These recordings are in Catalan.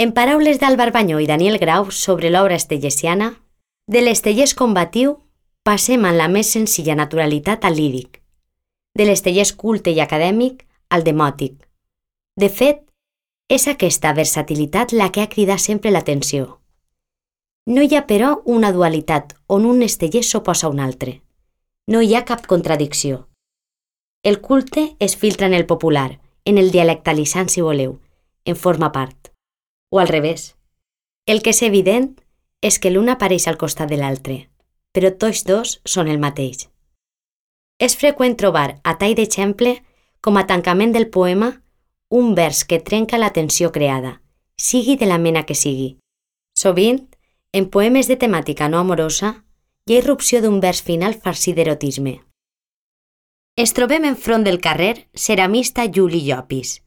En paraules d'Àlvar Banyó i Daniel Grau sobre l'obra estellesiana, de l'estelès combatiu passem en la més senzilla naturalitat al líric, de l'estelès culte i acadèmic al demòtic. De fet, és aquesta versatilitat la que ha cridat sempre l'atenció. No hi ha, però, una dualitat on un estellès s'oposa a un altre. No hi ha cap contradicció. El culte es filtra en el popular, en el dialectalitzant, si voleu, en forma part. O al revés. El que és evident és que l'un apareix al costat de l'altre, però tots dos són el mateix. És freqüent trobar, a tall d'exemple, com a tancament del poema, un vers que trenca la tensió creada, sigui de la mena que sigui. Sovint, en poemes de temàtica no amorosa, hi ha irrupció d'un vers final farcit d'erotisme. Ens trobem enfront del carrer ceramista Juli Llopis,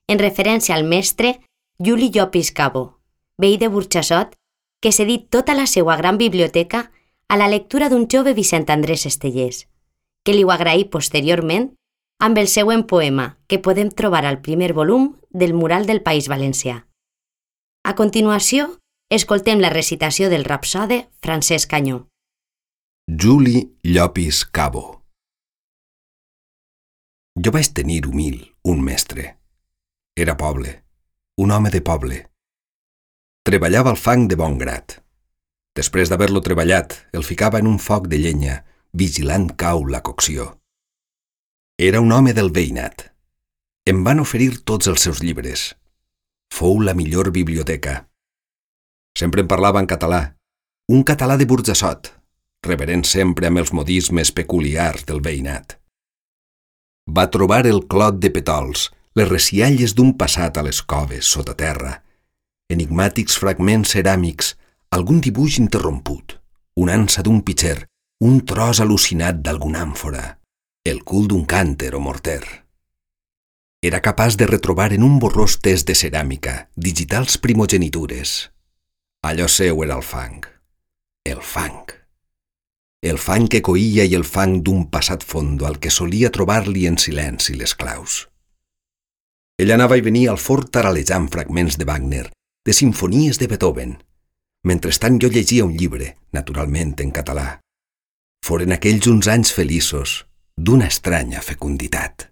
en referència al mestre Juli Llopis Cabó, veí de Burjassot, que cedí tota la seva gran biblioteca a la lectura d'un jove Vicent Andrés Estellés, que li ho agraí posteriorment amb el següent poema que podem trobar al primer volum del Mural del País Valencià. A continuació, escoltem la recitació del rapsode Francesc Canyó. Juli Llopis Cabó. Jo vaig tenir humil un mestre. Era poble, un home de poble. Treballava el fang de bon grat. Després d'haver-lo treballat, el ficava en un foc de llenya, vigilant cau la cocció. Era un home del veïnat. Em van oferir tots els seus llibres. Fou la millor biblioteca. Sempre em parlava en català, un català de Burjassot, reverent sempre amb els modismes peculiars del veïnat. Va trobar el clot de petols, les recialles d'un passat a les coves sota terra, enigmàtics fragments ceràmics, algun dibuix interromput, una ansa d'un pitxer, un tros al·lucinat d'alguna àmfora, el cul d'un cànter o morter. Era capaç de retrobar en un borrós test de ceràmica digitals primogenitures. Allò seu era el fang. El fang. El fang que coïa i el fang d'un passat fondo al que solia trobar-li en silenci les claus. Ell anava i venia al fort taralejant fragments de Wagner, de simfonies de Beethoven. Mentrestant jo llegia un llibre, naturalment en català. Foren aquells uns anys feliços, d'una estranya fecunditat.